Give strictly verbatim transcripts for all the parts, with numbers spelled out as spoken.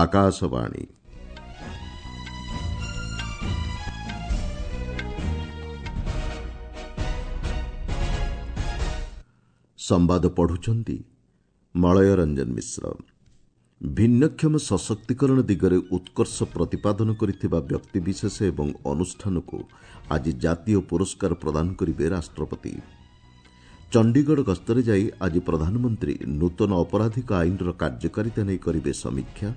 ଆକାଶବାଣୀ। ସମ୍ବାଦ ପଢୁଛନ୍ତି ମଳୟ ରଞ୍ଜନ ମିଶ୍ର। ଭିନ୍ନକ୍ଷମ ସଶକ୍ତିକରଣ ଦିଗରେ ଉତ୍କର୍ଷ ପ୍ରତିପାଦନ କରିଥିବା ବ୍ୟକ୍ତିବିଶେଷ ଏବଂ ଅନୁଷ୍ଠାନକୁ ଆଜି ଜାତୀୟ ପୁରସ୍କାର ପ୍ରଦାନ କରିବେ ରାଷ୍ଟ୍ରପତି। ଚଣ୍ଡିଗଡ଼ ଗସ୍ତରେ ଯାଇ ଆଜି ପ୍ରଧାନମନ୍ତ୍ରୀ ନୂତନ ଅପରାଧିକ ଆଇନର କାର୍ଯ୍ୟକାରିତା ନେଇ କରିବେ ସମୀକ୍ଷା।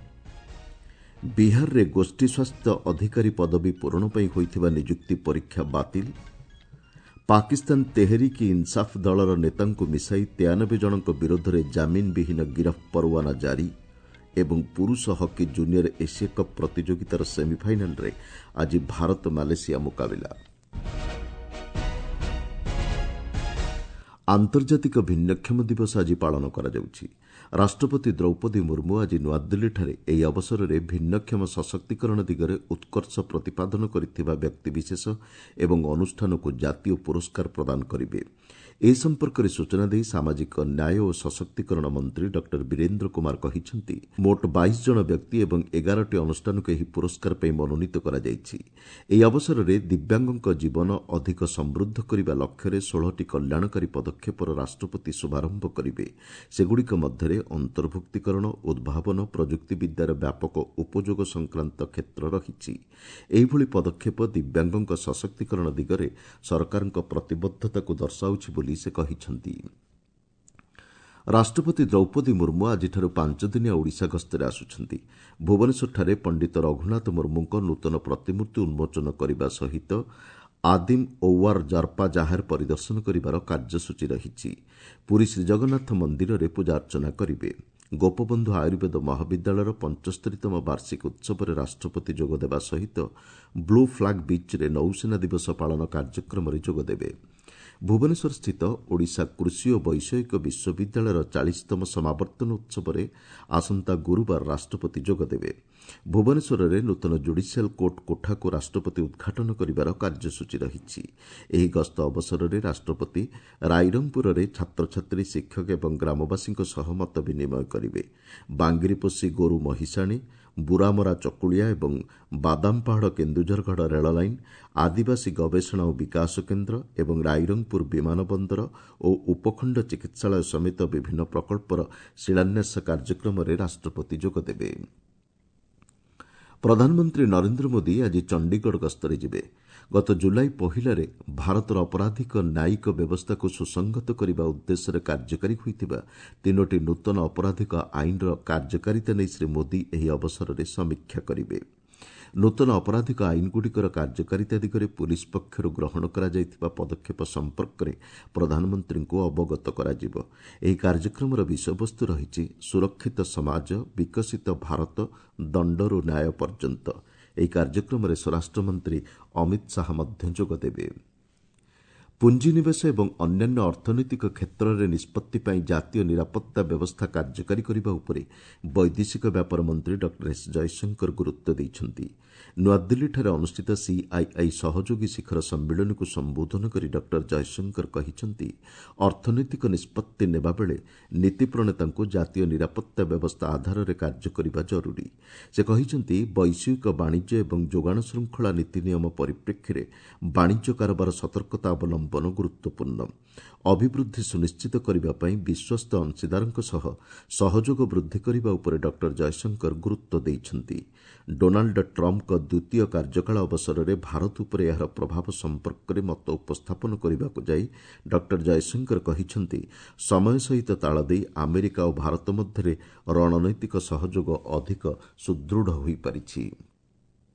ବିହାରରେ ଗୋଷ୍ଠୀ ସ୍ୱାସ୍ଥ୍ୟ ଅଧିକାରୀ ପଦବୀ ପୂରଣ ପାଇଁ ହୋଇଥିବା ନିଯୁକ୍ତି ପରୀକ୍ଷା ବାତିଲ। ପାକିସ୍ତାନ ତେହେରିକ ଇନ୍ସାଫ ଦଳର ନେତାଙ୍କୁ ମିଶାଇ ତେୟାନବେ ଜଣଙ୍କ ବିରୋଧରେ ଜାମିନବିହୀନ ଗିରଫ ପରୱାନା ଜାରି ଏବଂ ପୁରୁଷ ହକି ଜୁନିୟର ଏସୀୟ କପ୍ ପ୍ରତିଯୋଗିତାର ସେମିଫାଇନାଲ୍ରେ ଆଜି ଭାରତ ମାଲେସିଆ ମୁକାବିଲା। ଆନ୍ତର୍ଜାତିକ ଭିନ୍ନକ୍ଷମ ଦିବସ ଆଜି ପାଳନ କରାଯାଉଛି। ରାଷ୍ଟ୍ରପତି ଦ୍ରୌପଦୀ ମୁର୍ମୁ ଆଜି ନୂଆଦିଲ୍ଲୀଠାରେ ଏହି ଅବସରରେ ଭିନ୍ନକ୍ଷମ ସଶକ୍ତିକରଣ ଦିଗରେ ଉତ୍କର୍ଷ ପ୍ରତିପାଦନ କରିଥିବା ବ୍ୟକ୍ତିବିଶେଷ ଏବଂ ଅନୁଷ୍ଠାନକୁ ଜାତୀୟ ପୁରସ୍କାର ପ୍ରଦାନ କରିବେ। ଏ ସମ୍ପର୍କରେ ସୂଚନା ଦେଇ ସାମାଜିକ ନ୍ୟାୟ ଓ ସଶକ୍ତିକରଣ ମନ୍ତ୍ରୀ ଡକ୍ଟର ବୀରେନ୍ଦ୍ର କୁମାର କହିଛନ୍ତି, ମୋଟ ବାଇଶ ଜଣ ବ୍ୟକ୍ତି ଏବଂ ଏଗାରଟି ଅନୁଷ୍ଠାନକୁ ଏହି ପୁରସ୍କାର ପାଇଁ ମନୋନୀତ କରାଯାଇଛି। ଏହି ଅବସରରେ ଦିବ୍ୟାଙ୍ଗଙ୍କ ଜୀବନ ଅଧିକ ସମୃଦ୍ଧ କରିବା ଲକ୍ଷ୍ୟରେ ଷୋହଳଟି କଲ୍ୟାଣକାରୀ ପଦକ୍ଷେପର ରାଷ୍ଟ୍ରପତି ଶୁଭାରମ୍ଭ କରିବେ। ସେଗୁଡ଼ିକ ମଧ୍ୟରେ ଅନ୍ତର୍ଭୁକ୍ତୀକରଣ, ଉଦ୍ଭାବନ, ପ୍ରଯୁକ୍ତିବିଦ୍ୟାର ବ୍ୟାପକ ଉପଯୋଗ ସଂକ୍ରାନ୍ତ କ୍ଷେତ୍ର ରହିଛି। ଏହିଭଳି ପଦକ୍ଷେପ ଦିବ୍ୟାଙ୍ଗଙ୍କ ସଶକ୍ତିକରଣ ଦିଗରେ ସରକାରଙ୍କ ପ୍ରତିବଦ୍ଧତାକୁ ଦର୍ଶାଉଛି ବୋଲି ସେ କହିଛନ୍ତି। ରାଷ୍ଟ୍ରପତି ଦ୍ରୌପଦୀ ମୁର୍ମୁ ଆଜିଠାରୁ ପାଞ୍ଚଦିନିଆ ଓଡ଼ିଶା ଗସ୍ତରେ ଆସୁଛନ୍ତି। ଭୁବନେଶ୍ୱରଠାରେ ପଣ୍ଡିତ ରଘୁନାଥ ମୁର୍ମୁଙ୍କ ନୂତନ ପ୍ରତିମୂର୍ତ୍ତି ଉନ୍ମୋଚନ କରିବା ସହିତ ଆଦିମ ଔୱାର ଜର୍ପା ଜାହେର ପରିଦର୍ଶନ କରିବାର କାର୍ଯ୍ୟସୂଚୀ ରହିଛି। ପୁରୀ ଶ୍ରୀଜଗନ୍ନାଥ ମନ୍ଦିରରେ ପୂଜାର୍ଚ୍ଚନା କରିବେ। ଗୋପବନ୍ଧୁ ଆୟୁର୍ବେଦ ମହାବିଦ୍ୟାଳୟର ପଞ୍ଚସ୍ତରୀତମ ବାର୍ଷିକ ଉତ୍ସବରେ ରାଷ୍ଟ୍ରପତି ଯୋଗଦେବା ସହିତ ବ୍ଲୁ ଫ୍ଲାଗ୍ ବିଚ୍ରେ ନୌସେନା ଦିବସ ପାଳନ କାର୍ଯ୍ୟକ୍ରମରେ ଯୋଗଦେବେ। ଭୁବନେଶ୍ୱରସ୍ଥିତ ଓଡ଼ିଶା କୃଷି ଓ ବୈଷୟିକ ବିଶ୍ୱବିଦ୍ୟାଳୟର ଚାଳିଶତମ ସମାବର୍ତ୍ତନ ଉତ୍ସବରେ ଆସନ୍ତା ଗୁରୁବାର ରାଷ୍ଟ୍ରପତି ଯୋଗଦେବେ। ଭୁବନେଶ୍ୱରରେ ନୂତନ ଜୁଡିସିଆଲ କୋର୍ଟ କୋଠାକୁ ରାଷ୍ଟ୍ରପତି ଉଦ୍ଘାଟନ କରିବାର କାର୍ଯ୍ୟସୂଚୀ ରହିଛି। ଏହି ଗସ୍ତ ଅବସରରେ ରାଷ୍ଟ୍ରପତି ରାଇରଙ୍ଗପୁରରେ ଛାତ୍ରଛାତ୍ରୀ, ଶିକ୍ଷକ ଏବଂ ଗ୍ରାମବାସୀଙ୍କ ସହ ମତ ବିନିମୟ କରିବେ। ବାଙ୍ଗିରିପୋଷି ଗୋରୁ ମହିଷାଣୀ, ବୁରାମରା ଚକୁଳିଆ ଏବଂ ବାଦାମପାହାଡ଼ କେନ୍ଦୁଝରଗଡ଼ ରେଳ ଲାଇନ୍, ଆଦିବାସୀ ଗବେଷଣା ଓ ବିକାଶ କେନ୍ଦ୍ର ଏବଂ ରାଇରଙ୍ଗପୁର ବିମାନ ବନ୍ଦର ଓ ଉପଖଣ୍ଡ ଚିକିତ୍ସାଳୟ ସମେତ ବିଭିନ୍ନ ପ୍ରକଳ୍ପର ଶିଳାନ୍ୟାସ କାର୍ଯ୍ୟକ୍ରମରେ ରାଷ୍ଟ୍ରପତି ଯୋଗଦେବେ। ପ୍ରଧାନମନ୍ତ୍ରୀ ନରେନ୍ଦ୍ର ମୋଦି ଆଜି ଚଣ୍ଡିଗଡ଼ ଗସ୍ତରେ ଯିବେ। ଗତ ଜୁଲାଇ ପହିଲାରେ ଭାରତର ଅପରାଧିକ ନ୍ୟାୟିକ ବ୍ୟବସ୍ଥାକୁ ସୁସଂହତ କରିବା ଉଦ୍ଦେଶ୍ୟରେ କାର୍ଯ୍ୟକାରୀ ହୋଇଥିବା ତିନୋଟି ନୂତନ ଅପରାଧିକ ଆଇନର କାର୍ଯ୍ୟକାରିତା ନେଇ ଶ୍ରୀ ମୋଦି ଏହି ଅବସରରେ ସମୀକ୍ଷା କରିବେ। ନୂତନ ଅପରାଧିକ ଆଇନଗୁଡ଼ିକର କାର୍ଯ୍ୟକାରିତା ଦିଗରେ ପୁଲିସ୍ ପକ୍ଷରୁ ଗ୍ରହଣ କରାଯାଇଥିବା ପଦକ୍ଷେପ ସମ୍ପର୍କରେ ପ୍ରଧାନମନ୍ତ୍ରୀଙ୍କୁ ଅବଗତ କରାଯିବ। ଏହି କାର୍ଯ୍ୟକ୍ରମର ବିଷୟବସ୍ତୁ ରହିଛି ସୁରକ୍ଷିତ ସମାଜ, ବିକଶିତ ଭାରତ, ଦଣ୍ଡରୁ ନ୍ୟାୟ ପର୍ଯ୍ୟନ୍ତ। ଏହି କାର୍ଯ୍ୟକ୍ରମରେ ସ୍ୱରାଷ୍ଟ୍ରମନ୍ତ୍ରୀ ଅମିତ ଶାହା ମଧ୍ୟ ଯୋଗଦେବେ। ପୁଞ୍ଜିନିବେଶ ଏବଂ ଅନ୍ୟାନ୍ୟ ଅର୍ଥନୈତିକ କ୍ଷେତ୍ରରେ ନିଷ୍ପତ୍ତି ପାଇଁ ଜାତୀୟ ନିରାପତ୍ତା ବ୍ୟବସ୍ଥା କାର୍ଯ୍ୟକାରୀ କରିବା ଉପରେ ବୈଦେଶିକ ବ୍ୟାପାର ମନ୍ତ୍ରୀ ଡକ୍ଟର ଏସ୍ ଜୟଶଙ୍କର ଗୁରୁତ୍ୱ ଦେଇଛନ୍ତି। ନୂଆଦିଲ୍ଲୀଠାରେ ଅନୁଷ୍ଠିତ ସିଆଇଆଇ ସହଯୋଗୀ ଶିଖର ସମ୍ମିଳନୀକୁ ସମ୍ବୋଧନ କରି ଡକ୍ଟର ଜୟଶଙ୍କର କହିଛନ୍ତି, ଅର୍ଥନୈତିକ ନିଷ୍ପତ୍ତି ନେବାବେଳେ ନୀତି ପ୍ରଣେତାଙ୍କୁ ଜାତୀୟ ନିରାପତ୍ତା ବ୍ୟବସ୍ଥା ଆଧାରରେ କାର୍ଯ୍ୟ କରିବା ଜରୁରୀ। ସେ କହିଛନ୍ତି, ବୈଶ୍ୱିକ ବାଣିଜ୍ୟ ଏବଂ ଯୋଗାଣ ଶୃଙ୍ଖଳା ନୀତି ନିୟମ ପରିପ୍ରେକ୍ଷୀରେ ବାଣିଜ୍ୟ କାରବାର ସତର୍କତା ଅବଲମ୍ବନ ଗୁରୁତ୍ୱପୂର୍ଣ୍ଣ। ଅଭିବୃଦ୍ଧି ସୁନିଶ୍ଚିତ କରିବା ପାଇଁ ବିଶ୍ୱସ୍ତ ଅଂଶୀଦାରଙ୍କ ସହ ସହଯୋଗ ବୃଦ୍ଧି କରିବା ଉପରେ ଡକ୍ଟର ଜୟଶଙ୍କର ଗୁରୁତ୍ୱ ଦେଇଛନ୍ତି। ଡୋନାଲ୍ଡ ଟ୍ରମ୍ପଙ୍କ ଦ୍ୱିତୀୟ କାର୍ଯ୍ୟକାଳ ଅବସରରେ ଭାରତ ଉପରେ ଏହାର ପ୍ରଭାବ ସମ୍ପର୍କରେ ମତ ଉପସ୍ଥାପନ କରିବାକୁ ଯାଇ ଡକ୍ଟର ଜୟଶଙ୍କର କହିଛନ୍ତି, ସମୟ ସହିତ ତାଳ ଦେଇ ଆମେରିକା ଓ ଭାରତ ମଧ୍ୟରେ ରଣନୈତିକ ସହଯୋଗ ଅଧିକ ସୁଦୃଢ଼ ହୋଇପାରିଛି।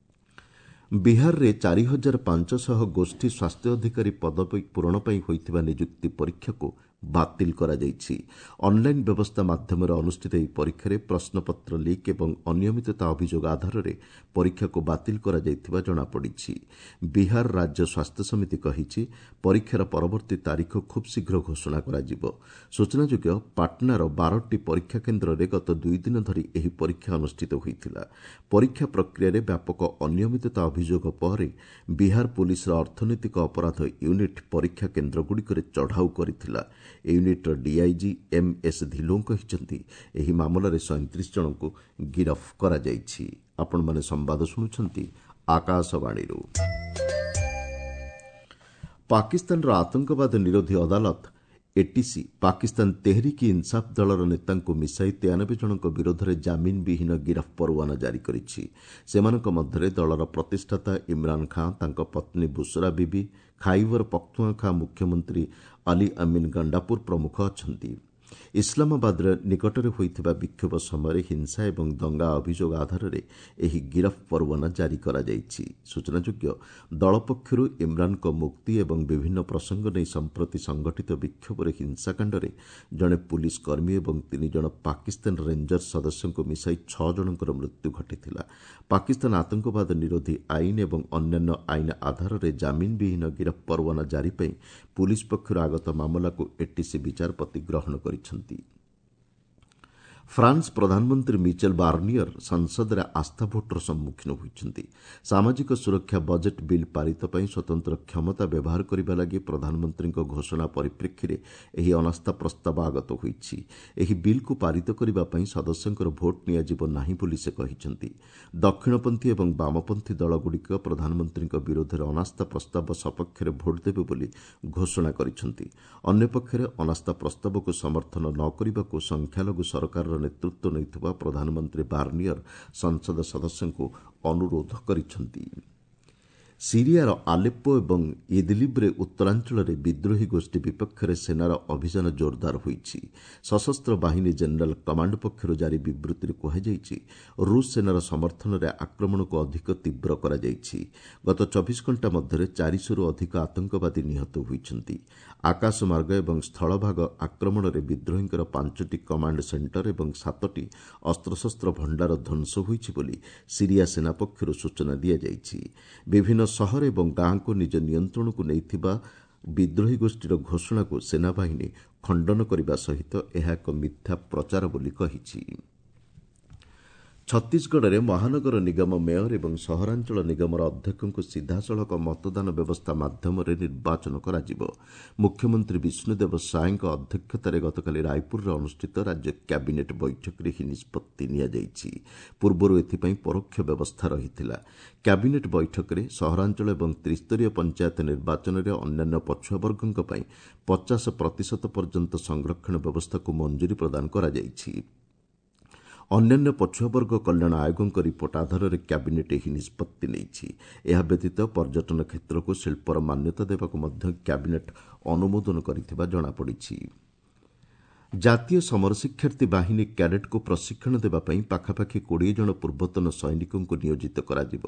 ବିହାରରେ ଚାରି ହଜାର ପାଞ୍ଚଶହ ଗୋଷ୍ଠୀ ସ୍ୱାସ୍ଥ୍ୟ ଅଧିକାରୀ ପଦବୀ ପୂରଣ ପାଇଁ ହୋଇଥିବା ନିଯୁକ୍ତି ପରୀକ୍ଷାକୁ ବାତିଲ କରାଯାଇଛି। ଅନ୍ଲାଇନ୍ ବ୍ୟବସ୍ଥା ମାଧ୍ୟମରେ ଅନୁଷ୍ଠିତ ଏହି ପରୀକ୍ଷାରେ ପ୍ରଶ୍ନପତ୍ର ଲିକ୍ ଏବଂ ଅନିୟମିତତା ଅଭିଯୋଗ ଆଧାରରେ ପରୀକ୍ଷାକୁ ବାତିଲ କରାଯାଇଥିବା ଜଣାପଡ଼ିଛି। ବିହାର ରାଜ୍ୟ ସ୍ୱାସ୍ଥ୍ୟ ସମିତି କହିଛି, ପରୀକ୍ଷାର ପରବର୍ତ୍ତୀ ତାରିଖ ଖୁବ୍ ଶୀଘ୍ର ଘୋଷଣା କରାଯିବ। ସୂଚନାଯୋଗ୍ୟ, ପାଟନାର ବାରଟି ପରୀକ୍ଷା କେନ୍ଦ୍ରରେ ଗତ ଦୁଇ ଦିନ ଧରି ଏହି ପରୀକ୍ଷା ଅନୁଷ୍ଠିତ ହୋଇଥିଲା। ପରୀକ୍ଷା ପ୍ରକ୍ରିୟାରେ ବ୍ୟାପକ ଅନିୟମିତତା ଅଭିଯୋଗ ପରେ ବିହାର ପୁଲିସର ଅର୍ଥନୈତିକ ଅପରାଧ ୟୁନିଟ୍ ପରୀକ୍ଷା କେନ୍ଦ୍ରଗୁଡ଼ିକରେ ଚଢ଼ାଉ କରିଥିଲା। ୟୁନିଟ୍ର ଡିଆଇଜି ଏମ୍ ଏସ୍ ଧିଲୋଁ କହିଛନ୍ତି, ଏହି ମାମଲାରେ ସଇଁତିରିଶ ଜଣଙ୍କୁ ଗିରଫ କରାଯାଇଛି। ଆପଣମାନେ ସମ୍ବାଦ ଶୁଣୁଛନ୍ତି ଆକାଶବାଣୀରୁ। ପାକିସ୍ତାନର ଆତଙ୍କବାଦ ନିରୋଧୀ ଅଦାଲତ ଏଟିସି ପାକିସ୍ତାନ ତେହରିକ ଇନ୍ସାଫ୍ ଦଳର ନେତାଙ୍କୁ ମିଶାଇ ତେୟାନବେ ଜଣଙ୍କ ବିରୋଧରେ ଜାମିନ ବିହୀନ ଗିରଫ ପରୱାନା ଜାରି କରିଛି। ସେମାନଙ୍କ ମଧ୍ୟରେ ଦଳର ପ୍ରତିଷ୍ଠାତା ଇମ୍ରାନ୍ ଖାଁ, ତାଙ୍କ ପତ୍ନୀ ବୁସରା ବିବି, ଖାଇବର ପଖ୍ତୁନ୍ଖା ମୁଖ୍ୟମନ୍ତ୍ରୀ ଅଲି ଅମିନ୍ ଗଣ୍ଡାପୁର ପ୍ରମୁଖ ଅଛନ୍ତି। ଇସଲାମାବାଦରେ ନିକଟରେ ହୋଇଥିବା ବିକ୍ଷୋଭ ସମୟରେ ହିଂସା ଏବଂ ଦଙ୍ଗା ଅଭିଯୋଗ ଆଧାରରେ ଏହି ଗିରଫ ପରୱାନା ଜାରି କରାଯାଇଛି। ସୂଚନାଯୋଗ୍ୟ, ଦଳ ପକ୍ଷରୁ ଇମ୍ରାନ୍ଙ୍କ ମୁକ୍ତି ଏବଂ ବିଭିନ୍ନ ପ୍ରସଙ୍ଗ ନେଇ ସମ୍ପ୍ରତି ସଂଗଠିତ ବିକ୍ଷୋଭରେ ହିଂସାକାଣ୍ଡରେ ଜଣେ ପୁଲିସ୍ କର୍ମୀ ଏବଂ ତିନି ଜଣ ପାକିସ୍ତାନ ରେଞ୍ଜର୍ସ ସଦସ୍ୟଙ୍କୁ ମିଶାଇ ଛଅ ଜଣଙ୍କର ମୃତ୍ୟୁ ଘଟିଥିଲା। ପାକିସ୍ତାନ ଆତଙ୍କବାଦ ନିରୋଧୀ ଆଇନ ଏବଂ ଅନ୍ୟାନ୍ୟ ଆଇନ ଆଧାରରେ ଜାମିନ ବିହୀନ ଗିରଫ ପରୱାନା ଜାରି ପାଇଁ ପୁଲିସ୍ ପକ୍ଷରୁ ଆଗତ ମାମଲାକୁ ଏଟିସି ବିଚାରପତି ଗ୍ରହଣ କରିଛନ୍ତି। ଫ୍ରାନ୍ସ ପ୍ରଧାନମନ୍ତ୍ରୀ ମିଚେଲ୍ ବାର୍ନିୟର ସଂସଦରେ ଆସ୍ଥା ଭୋଟ୍ର ସମ୍ମୁଖୀନ ହୋଇଛନ୍ତି। ସାମାଜିକ ସୁରକ୍ଷା ବଜେଟ୍ ବିଲ୍ ପାରିତ ପାଇଁ ସ୍ୱତନ୍ତ୍ର କ୍ଷମତା ବ୍ୟବହାର କରିବା ଲାଗି ପ୍ରଧାନମନ୍ତ୍ରୀଙ୍କ ଘୋଷଣା ପରିପ୍ରେକ୍ଷୀରେ ଏହି ଅନାସ୍ଥା ପ୍ରସ୍ତାବ ଆଗତ ହୋଇଛି। ଏହି ବିଲ୍କୁ ପାରିତ କରିବା ପାଇଁ ସଦସ୍ୟଙ୍କର ଭୋଟ୍ ନିଆଯିବ ନାହିଁ ବୋଲି ସେ କହିଛନ୍ତି। ଦକ୍ଷିଣପନ୍ଥୀ ଏବଂ ବାମପନ୍ଥୀ ଦଳଗୁଡ଼ିକ ପ୍ରଧାନମନ୍ତ୍ରୀଙ୍କ ବିରୋଧରେ ଅନାସ୍ଥା ପ୍ରସ୍ତାବ ସପକ୍ଷରେ ଭୋଟ୍ ଦେବେ ବୋଲି ଘୋଷଣା କରିଛନ୍ତି। ଅନ୍ୟପକ୍ଷରେ ଅନାସ୍ଥା ପ୍ରସ୍ତାବକୁ ସମର୍ଥନ ନ କରିବାକୁ ସଂଖ୍ୟାଲଘୁ ସରକାରର ନେତୃତ୍ୱ ନେଉଥିବା ପ୍ରଧାନମନ୍ତ୍ରୀ ବାର୍ନିୟର ସଂସଦ ସଦସ୍ୟଙ୍କୁ ଅନୁରୋଧ କରିଛନ୍ତି। ସିରିଆର ଆଲେପ୍ପୋ ଏବଂ ଇଦଲିବ୍ରେ ଉତ୍ତରାଞ୍ଚଳରେ ବିଦ୍ରୋହୀ ଗୋଷ୍ଠୀ ବିପକ୍ଷରେ ସେନାର ଅଭିଯାନ ଜୋରଦାର ହୋଇଛି। ସଶସ୍ତ୍ର ବାହିନୀ ଜେନେରାଲ କମାଣ୍ଡ ପକ୍ଷରୁ ଜାରି ବିବୃତ୍ତିରେ କୁହାଯାଇଛି, ରୁଷ ସେନାର ସମର୍ଥନରେ ଆକ୍ରମଣକୁ ଅଧିକ ତୀବ୍ର କରାଯାଇଛି। ଗତ ଚବିଶ ଘଣ୍ଟା ମଧ୍ୟରେ ଚାରିଶହରୁ ଅଧିକ ଆତଙ୍କବାଦୀ ନିହତ ହୋଇଛନ୍ତି। ଆକାଶମାର୍ଗ ଏବଂ ସ୍ଥଳଭାଗ ଆକ୍ରମଣରେ ବିଦ୍ରୋହୀଙ୍କର ପାଞ୍ଚଟି କମାଣ୍ଡ ସେଣ୍ଟର ଏବଂ ସାତଟି ଅସ୍ତ୍ରଶସ୍ତ୍ର ଭଣ୍ଡାର ଧ୍ୱଂସ ହୋଇଛି ବୋଲି ସିରିଆ ସେନା ପକ୍ଷରୁ ସୂଚନା ଦିଆଯାଇଛି। ବିଭିନ୍ନ ସହର ଏବଂ ଗାଁକୁ ନିଜ ନିୟନ୍ତ୍ରଣକୁ ନେଇଥିବା ବିଦ୍ରୋହୀ ଗୋଷ୍ଠୀର ଘୋଷଣାକୁ ସେନାବାହିନୀ ଖଣ୍ଡନ କରିବା ସହିତ ଏହା ଏକ ମିଥ୍ୟା ପ୍ରଚାର ବୋଲି କହିଛି। ଛତିଶଗଡ଼ରେ ମହାନଗର ନିଗମ ମେୟର ଏବଂ ସହରାଞ୍ଚଳ ନିଗମର ଅଧ୍ୟକ୍ଷଙ୍କୁ ସିଧାସଳଖ ମତଦାନ ବ୍ୟବସ୍ଥା ମାଧ୍ୟମରେ ନିର୍ବାଚନ କରାଯିବ। ମୁଖ୍ୟମନ୍ତ୍ରୀ ବିଷ୍ଣୁଦେବ ସାଏଙ୍କ ଅଧ୍ୟକ୍ଷତାରେ ଗତକାଲି ରାୟପୁରରେ ଅନୁଷ୍ଠିତ ରାଜ୍ୟ କ୍ୟାବିନେଟ୍ ବୈଠକରେ ଏହି ନିଷ୍ପତ୍ତି ନିଆଯାଇଛି। ପୂର୍ବରୁ ଏଥିପାଇଁ ପରୋକ୍ଷ ବ୍ୟବସ୍ଥା ରହିଥିଲା। କ୍ୟାବିନେଟ୍ ବୈଠକରେ ସହରାଞ୍ଚଳ ଏବଂ ତ୍ରିସ୍ତରୀୟ ପଞ୍ଚାୟତ ନିର୍ବାଚନରେ ଅନ୍ୟାନ୍ୟ ପଛୁଆବର୍ଗଙ୍କ ପାଇଁ ପଚାଶ ପ୍ରତିଶତ ପର୍ଯ୍ୟନ୍ତ ସଂରକ୍ଷଣ ବ୍ୟବସ୍ଥାକୁ ମଞ୍ଜୁରୀ ପ୍ରଦାନ କରାଯାଇଛି। ଅନ୍ୟାନ୍ୟ ପଛୁଆବର୍ଗ କଲ୍ୟାଣ ଆୟୋଗଙ୍କ ରିପୋର୍ଟ ଆଧାରରେ କ୍ୟାବିନେଟ୍ ଏହି ନିଷ୍ପତ୍ତି ନେଇଛି। ଏହା ବ୍ୟତୀତ ପର୍ଯ୍ୟଟନ କ୍ଷେତ୍ରକୁ ଶିଳ୍ପର ମାନ୍ୟତା ଦେବାକୁ ମଧ୍ୟ କ୍ୟାବିନେଟ୍ ଅନୁମୋଦନ କରିଥିବା ଜଣାପଡ଼ିଛି। ଜାତୀୟ ସମର ଶିକ୍ଷାର୍ଥୀ ବାହିନୀ କ୍ୟାଡେଟ୍କୁ ପ୍ରଶିକ୍ଷଣ ଦେବା ପାଇଁ ପାଖାପାଖି କୋଡ଼ିଏ ଜଣ ପୂର୍ବତନ ସୈନିକଙ୍କୁ ନିୟୋଜିତ କରାଯିବ।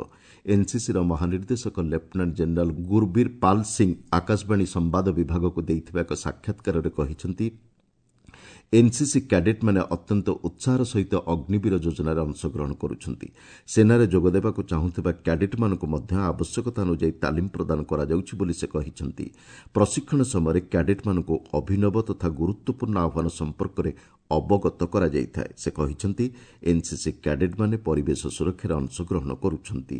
ଏନ୍ସିସିର ମହାନିର୍ଦ୍ଦେଶକ ଲେଫ୍ଟନାଣ୍ଟ ଜେନେରାଲ ଗୁରବୀର ପାଲ ସିଂ ଆକାଶବାଣୀ ସମ୍ବାଦ ବିଭାଗକୁ ଦେଇଥିବା ଏକ ସାକ୍ଷାତକାରରେ କହିଛନ୍ତି, ଏନ୍ସିସି କ୍ୟାଡେଟ୍ମାନେ ଅତ୍ୟନ୍ତ ଉତ୍ସାହର ସହିତ ଅଗ୍ନିବୀର ଯୋଜନାରେ ଅଂଶଗ୍ରହଣ କରୁଛନ୍ତି। ସେନାରେ ଯୋଗଦେବାକୁ ଚାହୁଁଥିବା କ୍ୟାଡେଟ୍ମାନଙ୍କୁ ମଧ୍ୟ ଆବଶ୍ୟକତା ଅନୁଯାୟୀ ତାଲିମ ପ୍ରଦାନ କରାଯାଉଛି ବୋଲି ସେ କହିଛନ୍ତି। ପ୍ରଶିକ୍ଷଣ ସମୟରେ କ୍ୟାଡେଟ୍ମାନଙ୍କୁ ଅଭିନବ ତଥା ଗୁରୁତ୍ୱପୂର୍ଣ୍ଣ ଆହ୍ୱାନ ସମ୍ପର୍କରେ ଅବଗତ କରାଯାଇଥାଏ। ସେ କହିଛନ୍ତି, ଏନ୍ସିସି କ୍ୟାଡେଟ୍ମାନେ ପରିବେଶ ସୁରକ୍ଷାରେ ଅଂଶଗ୍ରହଣ କରୁଛନ୍ତି।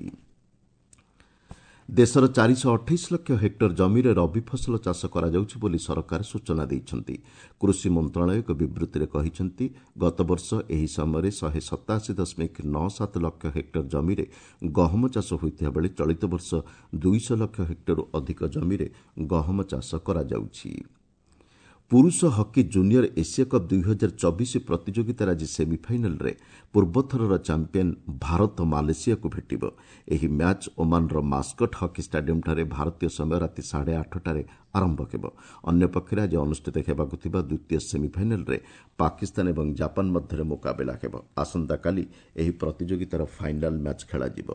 ଦେଶର ଚାରିଶହ ଅଠେଇଶ ଲକ୍ଷ ହେକ୍ଟର ଜମିରେ ରବି ଫସଲ ଚାଷ କରାଯାଉଛି ବୋଲି ସରକାର ସୂଚନା ଦେଇଛନ୍ତି। କୃଷି ମନ୍ତ୍ରଣାଳୟ ଏକ ବିବୃତ୍ତିରେ କହିଛନ୍ତି, ଗତବର୍ଷ ଏହି ସମୟରେ ଶହେ ସତାଅଶୀ ଦଶମିକ ନଅ ସାତ ଲକ୍ଷ ହେକ୍ଟର ଜମିରେ ଗହମ ଚାଷ ହୋଇଥିବା ବେଳେ ଚଳିତ ବର୍ଷ ଦୁଇଶହ ଲକ୍ଷ ହେକ୍ଟରରୁ ଅଧିକ ଜମିରେ ଗହମ ଚାଷ କରାଯାଉଛି। ପୁରୁଷ ହକି ଜୁନିୟର ଏସିଆ କପ୍ ଦୁଇହଜାର ଚବିଶ ପ୍ରତିଯୋଗିତାର ଆଜି ସେମିଫାଇନାଲ୍ରେ ପୂର୍ବଥରର ଚାମ୍ପିୟନ୍ ଭାରତ ମାଲେସିଆକୁ ଭେଟିବ। ଏହି ମ୍ୟାଚ୍ ଓମାନର ମାସ୍କଟ ହକି ଷ୍ଟାଡିୟମ୍ଠାରେ ଭାରତୀୟ ସମୟ ରାତି ସାଢ଼େ ଆଠଟାରେ ଆରମ୍ଭ ହେବ। ଅନ୍ୟପକ୍ଷରେ ଆଜି ଅନୁଷ୍ଠିତ ହେବାକୁ ଥିବା ଦ୍ୱିତୀୟ ସେମିଫାଇନାଲ୍ରେ ପାକିସ୍ତାନ ଏବଂ ଜାପାନ ମଧ୍ୟରେ ମୁକାବିଲା ହେବ। ଆସନ୍ତାକାଲି ଏହି ପ୍ରତିଯୋଗିତାର ଫାଇନାଲ୍ ମ୍ୟାଚ୍ ଖେଳାଯିବ।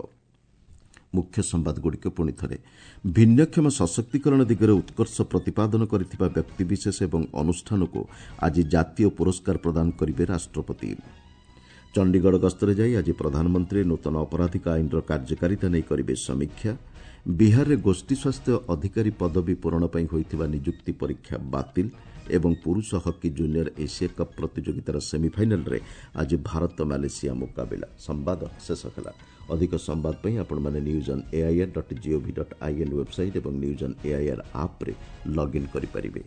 ମୁଖ୍ୟ ସମ୍ବାଦଗୁଡ଼ିକ ପୁଣି ଥରେ। ଭିନ୍ନକ୍ଷମ ସଶକ୍ତିକରଣ ଦିଗରେ ଉତ୍କର୍ଷ ପ୍ରତିପାଦନ କରିଥିବା ବ୍ୟକ୍ତିବିଶେଷ ଏବଂ ଅନୁଷ୍ଠାନକୁ ଆଜି ଜାତୀୟ ପୁରସ୍କାର ପ୍ରଦାନ କରିବେ ରାଷ୍ଟ୍ରପତି। ଚଣ୍ଡିଗଡ଼ ଗସ୍ତରେ ଯାଇ ଆଜି ପ୍ରଧାନମନ୍ତ୍ରୀ ନୂତନ ଅପରାଧିକ ଆଇନର କାର୍ଯ୍ୟକାରିତା ନେଇ କରିବେ ସମୀକ୍ଷା। ବିହାରରେ ଗୋଷ୍ଠୀ ସ୍ୱାସ୍ଥ୍ୟ ଅଧିକାରୀ ପଦବୀ ପୂରଣ ପାଇଁ ହୋଇଥିବା ନିଯୁକ୍ତି ପରୀକ୍ଷା ବାତିଲ ଏବଂ ପୁରୁଷ ହକି ଜୁନିୟର ଏସିଆ କପ୍ ପ୍ରତିଯୋଗିତାର ସେମିଫାଇନାଲ୍ରେ ଆଜି ଭାରତ ମାଲେସିଆ ମୁକାବିଲା। ସମ୍ବାଦ ଶେଷ ହେଲା। ଅଧିକ ସମ୍ବାଦ ପାଇଁ ଆପଣମାନେ news on AIR dot GOV dot IN website ଏବଂ ନ୍ୟୁଜ୍ ଅନ୍ ଏଆଇଆର୍ ଆପ୍ରେ ଲଗ୍ଇନ୍ କରିପାରିବେ।